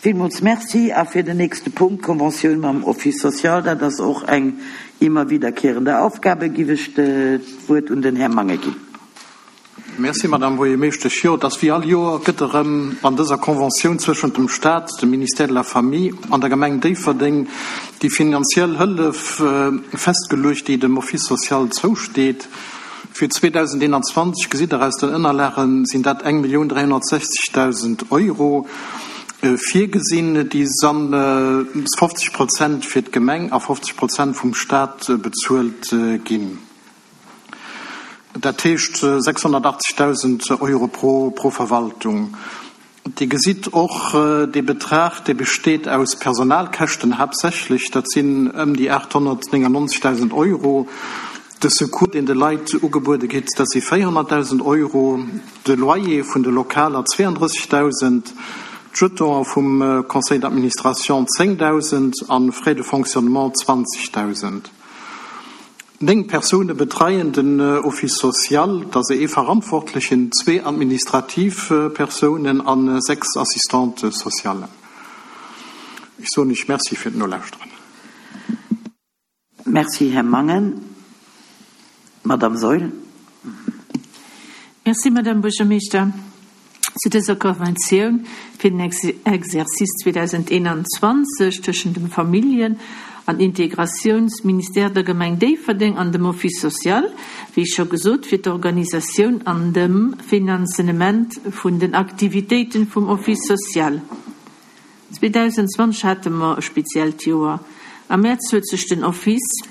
Villmools Merci. A fir den nächste Punkt, d'Konventioun mam Office social, dat ass och eng immer wiederkehrende Aufgabe, giff ech d'Wuert un den Här Mangen ginn. Merci, Madame Buergermeeschtesch. Jo, et ass wéi all Joer, gëtt erëm an dëser Conventioun zwëschent dem Stat, dem Ministère de la Famille an der Gemeng Déifferdeng déi finanziell Hëllef festgeluecht, déi dem Office social zousteet. Fir 2021, gesitt Der aus den Ënnerlagen, sinn dat 1.360.000 Euro virgesinn, déi dann 50 Prozent fir d'Gemeng a 50 Prozent vum Stat bezuelt ginn. Dat heescht 680.000 Euro pro Verwaltung. Dir gesitt och, dee Betrag, dee besteet aus Personalkäschten haaptsächlech, dat sinn ëm déi 899.000 Euro. De Secours, deen de Leit ugebuede gétt, dat si 400.000 Euro, de Loyer vun de Lokaler 32.000, d'Jetonen vum Conseil d'administration 10.000 a Frais de fonctionnement 20.000. 9 Persoune betreien den Office social, dat ass ee Verantwortlechen, zwee administrativ Persounen a 6 Assistantes sociales. Ech soen Iech Merci fir d'Nolauschteren. Merci, Här Mangen. Madamm Saeul. Merci, Madamm Buergermeeschter. Zu dëser Konventioun fir den Exercice 2021 tëschent dem Familljen an Integratiounsministère, der Gemeng Déifferdeng an dem Office social, wéi scho gesot, fir d'Organisatioun an dem Finanzenement vun den Aktivitéiten vum Office social. 2020 hate mer e speziellt Joer. Am Mäerz huet sech den Office.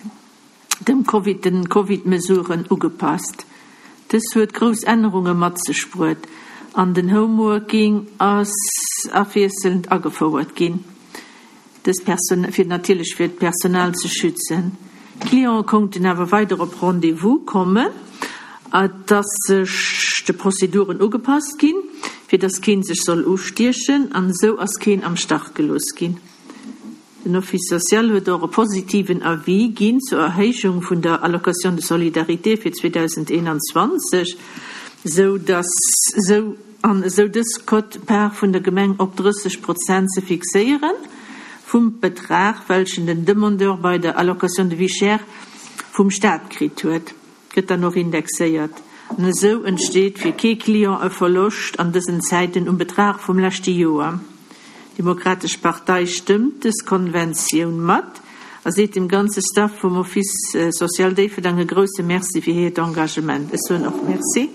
dem Covid den Covid-Mesuren ugepasst. Dës huet grouss Ännerunge mat sech bruet an den Homeworking ass afwiesselnd agefouert ginn, dës fir natierlech fir d'Personal ze schützen. D'Clienten konnten awer weider op Rendez-vous kommen. Et ass sech de Prozeduren ugepasst ginn, fir dass keen sech soll ustiechen an esou ass keen am Stach gelooss ginn. Den Office social huet och e positiven Avis ginn zur Erhéijung vun der Allocation de solidarité fir 2021, esou dass esou an esou dës Quote-part vun der Gemeng op 30 Prozent ze fixéiere vum Betrag, welchen den Demandeur bei der Allocation de vie chère vum Stat kritt huet, gëtt dann och indexéiert. An esou entsteet fir kee Client e Verloscht an dësen Zäiten um Betrag vum leschte Joer. D'Demokratesch Partei stëmmt dës Konventioun mat a seet dem ganze Staff vum Office social Déifferdang e grousse Merci fir hiert Engagement. Ech soen och Merci.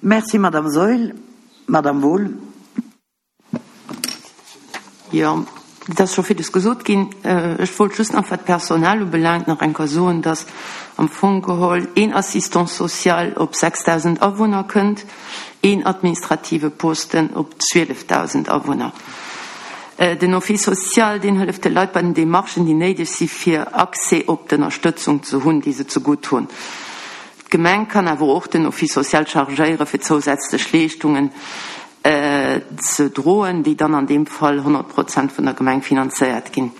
Merci, Madame Saeul. Madame Wohl. Jo, et ass scho villes gesot ginn. Ech wollt just nach, wat d'Personal ubelaangt, nach eng Kéier soen, dass am Fong geholl een Assistant social op 6.000 Awunner kënnt. een administrative Posten op 12.000 Awunner. Den Office social, deen hëlleft de Leit bei den Demarchen, déi néideg si fir Accès op d'Ënnerstëtzung ze hunn, déi se zegutt hunn. D'Gemeng kann awer och den Office social chargéiere fir zousätzlech Leeschtungen ze droen, déi dann an deem Fall 100 Prozent vun der Gemeng finanzéiert ginn.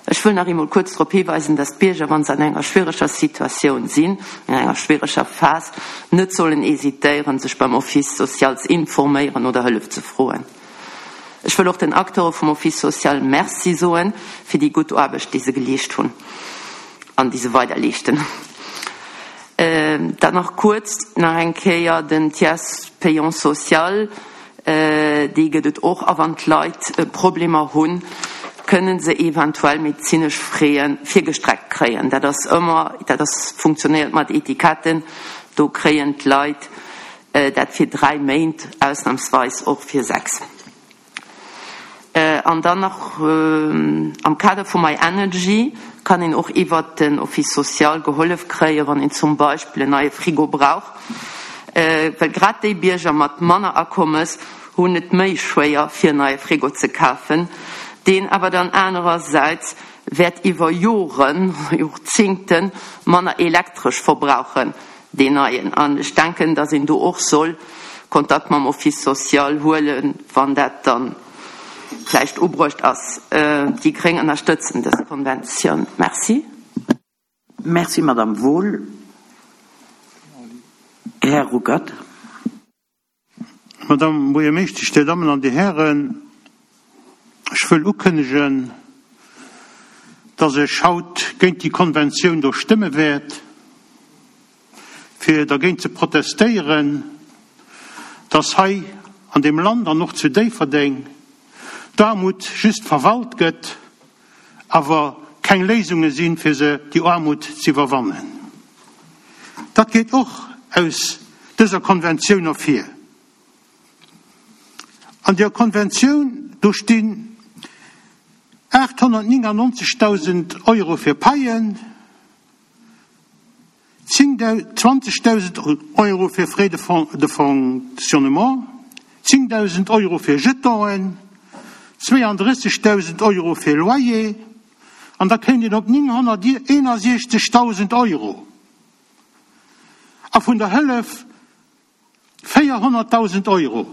Ech wëll nach eemol kuerz drop hiweisen, dass d'Bierger, wa se an enger schwiereger Situatioun sinn, an enger schwiereger Phas, net sollen hésitéieren, sech beim Office social z'informéieren oder Hëllef ze froen. Ech wëll och den Acteure vum Office social Merci soen fir déi gutt Aarbecht, déi se geleescht hunn an déi se weider leeschten. Dann nach kuerz nach eng Kéier den Tiers payant social. Déi gëtt et och. A wann d'Leit Problemer hunn, kënne se eventuell medezinesch Fräe virgestreckt kréien. Dat ass ëmmer, dat ass, funktionéiert mat Etiketten. Do kréien d'Leit dat fir 3 Méint, ausnamsweis och fir 6. An dann nach, am Kader vu MyEnergy kann een och iwwert den Office social gehollef kréien, wann een zum Beispill en neie Frigo brauch. Well grad déi Bierger mat manner Akommes hunn et méi schwéier fir en neie Frigo ze kafen, deen awer dann anerersäits wäert iwwer Joren, Jorzingten manner Elektresch verbrauchen, deen neien. An ech denken, datt een do och soll Kontakt mam Office social huelen, wann dat dann vläicht ubruecht ass. Déi gréng ënnerstëtzen dës Konventioun. Merci. Merci, Madame Wohl. Här Ruckert. Madame Buergermeeschtesch, Dir Dammen an Dir Hären, ech wëll ukënnegen, dass ech haut géint déi Konventioun do stëmme wäert, fir dergéint ze protestéieren, dass hei an deem Land an och zu Déifferdeng d'Aarmut just verwalt gëtt, awer keng Léisunge sinn, fir se, déi Aarmut, z'iwwerwannen. Dat geet och aus dëser Konventioun ervir. An der Konventioun, do stinn 899.000 Euro fir Paien, 20.000 Euro fir Frais de fonctionnement, 10.000 Euro fir Jetonen, 32.000 Euro fir Loyer an da kéint een op 961.000 Euro. A vun der Hëllef 400.000 Euro.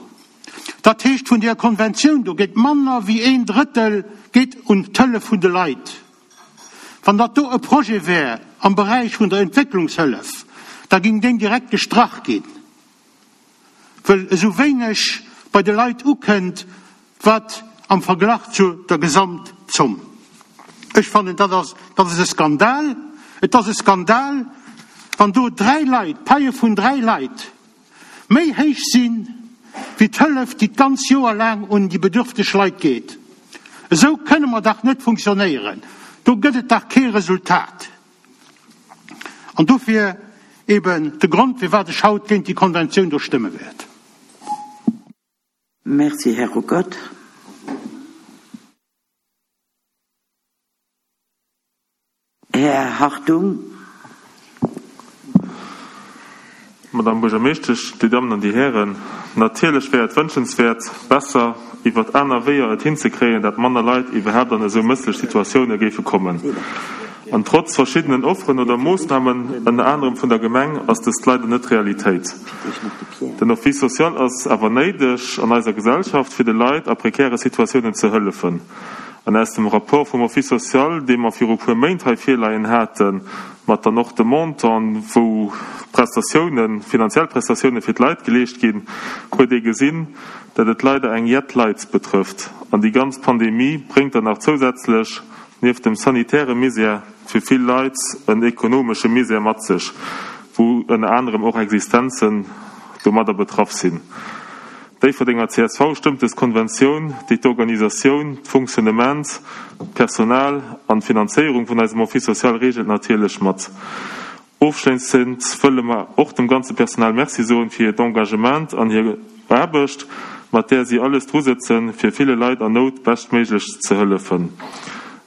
Dat heescht, vun där Konventioun do geet manner wéi een Drëttel geet un d'Hëllef vun de Leit. Wann dat do e Projet wär am Beräich vun der Entwécklungshëllef, da ging deen direkt gestrach ginn, wëll esou wéineg bei de Leit ukënnt, wat am Verglach zu der Gesamtzomm. Ech fannen, dat ass, dat ass e Skandal. Et ass e Skandal, wann do dräi Leit, d'Paie vun dräi Leit méi héich sinn, wéi d'Hëllef, déi d'ganz Joer laang un déi bedürfteg Leit geet. Esou kënne mer dach net funktionéieren. Do gëtt et dach kee Resultat. An dofir eben de Grond, firwat ech haut géint déi Konventioun do stëmme wäert. Merci, Här Ruckert. Här Hartung. Madame Buergermeeschtesch, Dir Dammen an Dir Hären, natierlech wär et wënschenswäert, besser iwwert aner Wéier et hinzekréien, dat manner Leit iwwerhaapt an esou mësslech Situatioune géife kommen. An trotz verschiddenen Offeren oder Moossnamen, ënner anerem vun der Gemeng, ass dëst leider net Realitéit. Den Office social ass awer néideg an eiser Gesellschaft, fir de Leit a prekäre Situatiounen ze hëllefen. An aus dem Rapport vum Office social, dee mer viru puer Méint hei virleien haten, mat dann och de Montanten, wou Prestatiounen, finanziell Prestatiounen fir d'Leit geleescht ginn, huet ee gesinn, dat et leider eng jett Leit betrëfft. An déi ganz Pandemie bréngt dann nach zousätzlech, nieft dem sanitäre Misär, fir vill Leit en ekonomesche Misär mat sech, wou ënner anerem och Existenzen domadder betraff sinn. D'Déifferdenger csv stëmmt des Konventioun, déi d'Organisatioun, d'Fonctionnement, d'Personal an d'Finanzéierung vun eisem Office social reegelt, natierlech mat. Ofschléissend wëlle mer och dem ganze Personal Merci soen fir hiert Engagement an hir Aarbecht, mat där si alles drusëtzen, fir ville Leit an Nout beschtméiglech ze hëllefen.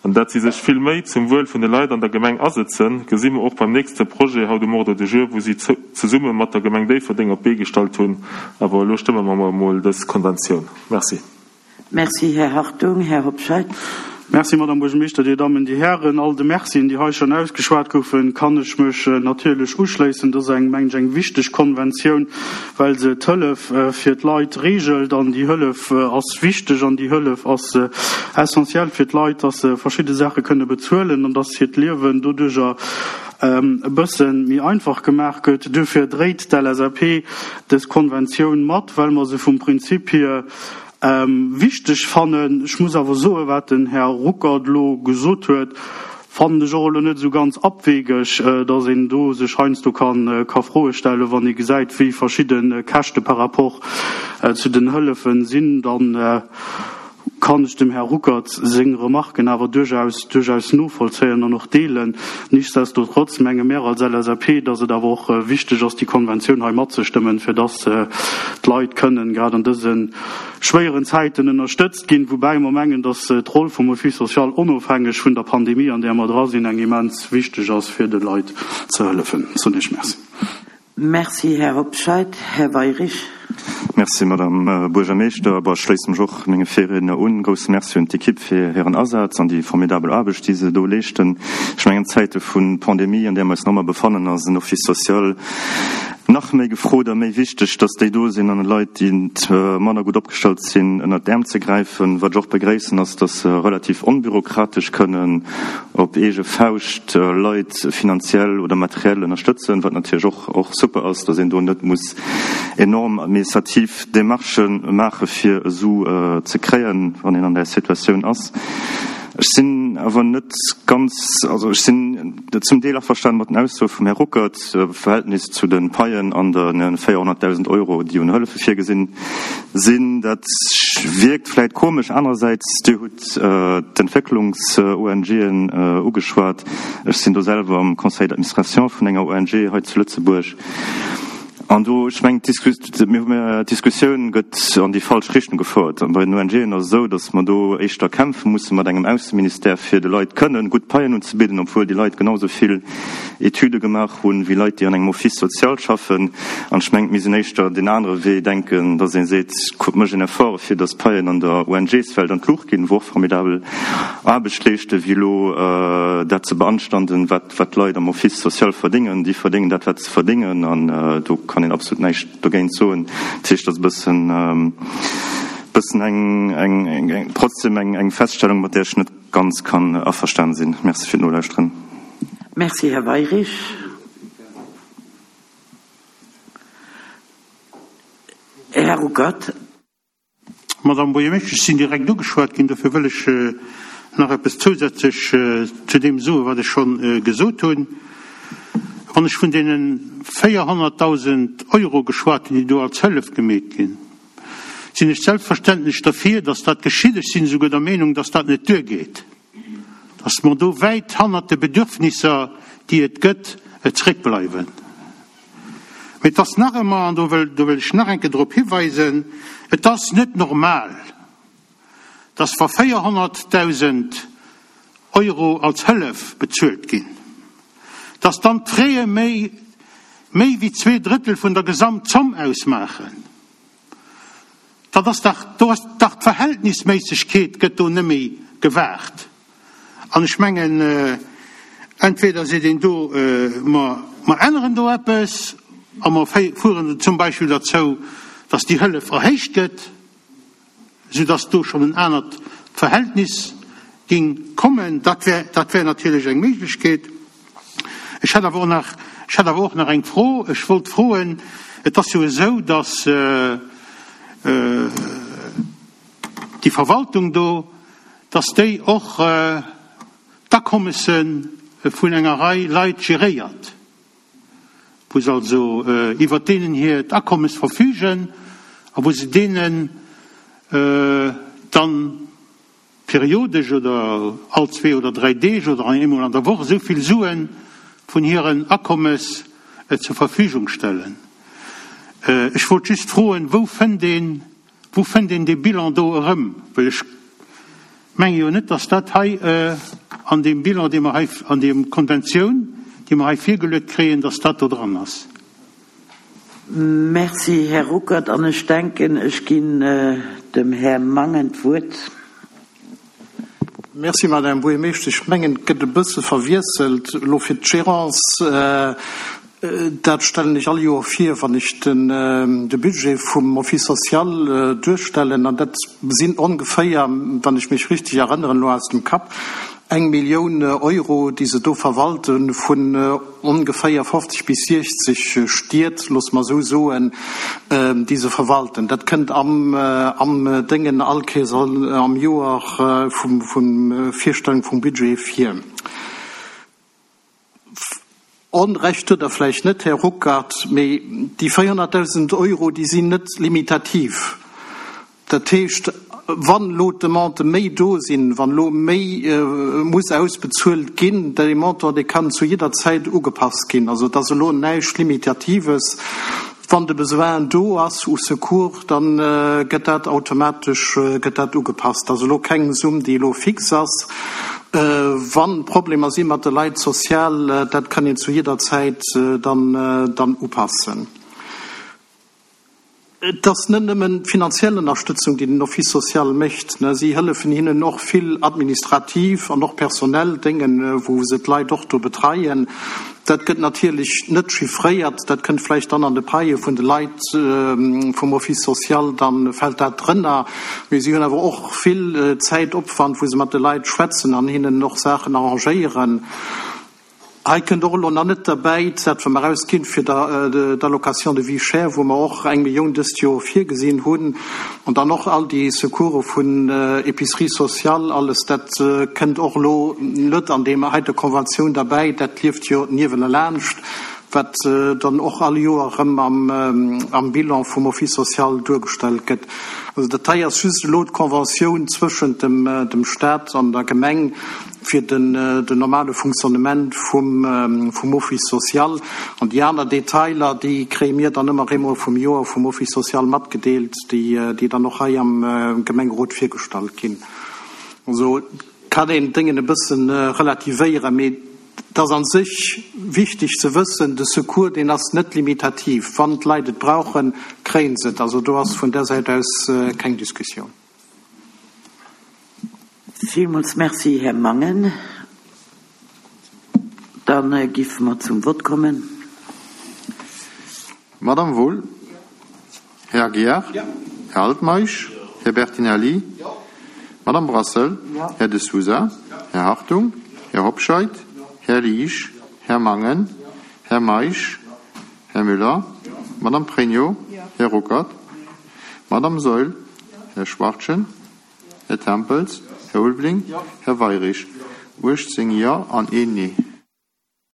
An dat si sech vill Méi zum Wuel vun de Leit an der Gemeng asëtzen, gesi mer och beim nächste Projet haut um Ordre du jour, wou si zesumme mat der Gemeng Déifferdeng op d'Bee gestallt hunn. Awer elo stëmme mer emol dës Konventioun. Merci. Merci, Här Hartung. Här Hobscheit. Merci, Madame Buergermeeschter, Dir Dammen, Dir Hären. All de Mercien, déi hei schonn ausgeschwat goufen, kann ech mech natierlech uschléissen. Dat ass eng, mengen ech, eng wichteg Konventioun, well se d'Hëllef fir d'Leit regelt. An déi Hëllef ass wichteg an déi Hëllef ass essentiell fir d'Leit, dass se verschidde Saache kënne bezuelen an dass hiert Liewen doduerjer e bësse méi einfach gemaach gëtt. Duerfir dréit d'LSAP dës Konventioun mat, well mer se vum Prinzip hier Wichteg fannen. Ech muss awer soen, wat den Här Ruckert elo gesot huet, fannen ech och elo net esou ganz abwegeg, datt een do sech heiansdo ka Froe stellen, wann ee gesäit, wéi verschidde Käschte par rapport zu den Hëllefen sinn. Dann kann ech dem Här Ruckert seng Remarken awer duerchaus, duerchaus novollzéien an och deelen. Nichtsdestotrotz menge mär als LSAP, datt et awer och wichteg ass, déi Konventioun hei matzestëmmen, fir datt d'Leit kënnen grad an dëse schwéieren Zäiten ënnerstëtzt ginn, woubäi mer mengen, datt d'Roll vum Office social onofhängeg vun der Pandemie, an där mer dra sinn, eng immens wichteg ass, fir de Leit ze hëllefen. Soen ech Merci. Merci, Här Hobscheit. Här Weirich. Merci, Madame Buergermeeschter. Bon, ech schléisse mech och menge Virriedner un. Grousse Merci un d'Ekipp fir hiren Asaz an déi formidabel Aarbecht, déi se do leeschten. Ech mengen, an Zäite vu Pandemie, an där mer eis nach ëmmer befannen, ass en Office social nach méi gefrot a méi wichteg, dass déi do sinn an de Leit, déi manner gutt opgestallt sinn, ënnert d'Äerm ze gräifen. Wat ech och begréissen, ass, dass se relativ onbürokratesch kënnen op eege Fauscht Leit finanziell oder materiell ënnerstëtzen, wat natierlech och och super ass, dass een do net muss enorm. administrativ Demarchë maache fir e Su ze kréien, wann een an där Situatioun ass. Ech sinn awer net ganz, also ech sinn zum Deel averstanen mat den Aussoe vum Här Ruckert am Verhältnis zu de Paien an de 400.000 Euro, déi un Hëllefe virgesinn sinn. Dat wierkt vläit komesch. Anerersäits, Dir hutt d'Entwécklungs-ONGen ugeschwat. Ech sinn do selwer am Conseil d'administration vun enger ONG hei zu Lëtzebuerg. An do, ech mengen, d'Diskussioun gëtt an déi falsch Richtung gefouert. Bei den ONGen ass et esou, datt mer do éischter kämpfe musse mat engem Ausseministère, fir de Leit kënnen gutt Paien unzebidden, obwuel déi Leit genau esou vill Etüde gemaach hunn, wéi Leit, déi an engem Office social schaffen. An ech mengen, et misst een éischter deen anere Wee denken, datt ee seet, kuckt, mécht een Effort, fir datt d'Paien an der ONGs-Welt an d'Luucht ginn, wou och formidabel Aarbecht leeschten, wéi elo dat ze beanstanden, wat d'Leit am Office social verdéngen. Déi verdéngen dat, wat se verdéngen, an do kann een absolut näischt dogéint soen. Dat heescht, dat ass e bëssen, bëssen eng, eng, eng, trotzdem eng, eng Feststellung, mat där ech net ganz kann averstanen sinn. Merci fir d'Nolauschteren. Merci, Här Weirich. Här Ruckert. Madame Buergermeeschtesch, ech sinn direkt ugeschwat ginn, dofir wëll ech nach eppes zousätzlech zu deem soen, wat ech scho gesot hunn. Wann ech vun deene 400.000 Euro geschwat hunn, déi do als Hëllef gemeet ginn, sinn ech selbstverständlech derfir, dass dat geschitt. Ech sinn esouguer der Meenung, dass dat net duergeet, dass mer do wäit hannert de Bedürfnisser, déi et gëtt, zréckbleiwen. Mee et ass nach ëmmer, an do wëll, do wëll ech nach eng Kéier drop hiweisen, et ass net normal, dass wa 400.000 Euro als Hëllef bezuelt ginn, dass dann d'Fraie méi, méi wéi zweedrëttel vun der Gesamtzomm ausmaachen. Dat ass dach, do ass dach d'Verhältnisméissegkeet gëtt do net méi gewaart. An ech mengen, entweder seet een do, mer, mer änneren do eppes a mer fueren zum Beispill derzou, datt déi Hëllef erhéicht gëtt, soudatt do schonn en anert Verhältnis ging kommen. Dat wär, dat wär natierlech eng Méiglechkeet. Ech hätt awer och nach, ech hätt awer och nach eng Fro. Ech wollt froen, et ass jo esou, datt déi Verwaltung do, datt déi och d'Akommesse vun enger Rei Leit geréiert, wou se also iwwert deenen hiert Akommes verfügen a wou se deenen dann periodesch oder all zwee oder dräi Deeg oder eemol an der Woch esou vill Sue vun hiren Akommes zur Verfügung stellen. Ech wollt just froen, wou fënnt een, wou fënnt een dee Bilan do erëm? Well ech menge jo net, dass dat hei an deem Bilan, dee mer hei, an deem Konventioun, déi mer hei virgeluet kréien, dass dat do dran ass. Merci, Här Ruckert. An ech denken, ech ginn dem Här Mangen d'Wuert. Merci, Madame Buergermeeschtesch. Ech mengen, et gëtt e bësse verwiesselt elo fir d'Gérance. Dat stellen ech all Joer vir, wann ech de Budget vum Office social duerstellen. An dat sinn ongeféier, wann ech mech richtig erënneren elo aus dem Kapp, eng Millioun Euro, déi se do verwalte vun ongeféier 50 bis 60 Stied, loosse mer esou soen, déi se verwalten. Dat kënnt am am Déngen all Kéiers am Joer vum vum Virstellung vum Budget vir. Onrecht huet Der vläicht net, Här Ruckert, mee déi 400.000 Euro, déi sinn net limitativ. Dat heescht, wann elo d'Demandë méi do sinn, wann elo méi muss ausbezuelt ginn, dee Montant, dee kann zu jidder Zäit ugepasst ginn. Also et ass elo näischt Limitatives. Wann de Besoin do ass u Secours, da gëtt dat automatesch gëtt dat ugepasst. Dat ass elo keng Summ, déi elo fix ass. Wa Problemer si mat de Leit sozial, dat kann een zu jidder Zäit dann dann upassen. Et ass net nëmmen d'finanziell Ënnerstëtzung, déi den Office social mécht. Si hëllefen hinnen och vill administrativ an och personell Déngen, wou se d'Leit och do betreien. Dat gëtt natierlech net chiffréiert. Dat kënnt vläicht dann an de Paie vun de Leit vum Office social, da fält dat drënner. Mee si hunn awer och vill Zäitopwand, wou se mat de Leit schwätzen an hinnen och Saachen arrangéieren. Hei kënnt och elo nach net derbäi dat, wat mer ausginn fir d'Allocation de vie chère, wou mer och eng Millioun dëst Joer virgesinn hunn, an dann och all déi Secourse vun Épicerie sociale, alles dat kënnt och elo net an deem heite Konventioun derbäi. Dat lieft jo niewenelaanscht, wat dann och all Joer erëm am Bilan vum Office social duergestallt gëtt. Also dat hei ass just elo d'Conventioun zwëschent dem Stat an der Gemeng, fir den normale Fonctionnement vum Office social. An déi aner Detailer, déi kréie mir dann ëmmer eemol vum Joer vum Office social matgedeelt, déi dann och hei am Gemengerot virgestallt ginn. Also kann een d'Déngen e bësse relativéieren, mee et ass a sech wichteg ze wëssen, de Secours, deen ass net limitativ. Wann d'Leit et brauchen, kréie se et. Also do ass vun där Säit aus keng Diskussioun. Villmools Merci, Här Mangen. Da géife mer zum Vott kommen. Madame Wohl? Här Aguiar? Här Altmeisch? Här Bertinelli? Madame Brassel? Här De Sousa? Här Hartung? Här Hobscheit? Här Liesch? Här Mangen? Här Meisch? Här Müller? Madame Pregno? Här Ruckert? Madame Saeul? Här Schwachtgen? Här Tempels? Här Ulveling? Här Weirich? 18 Jo an een Nee.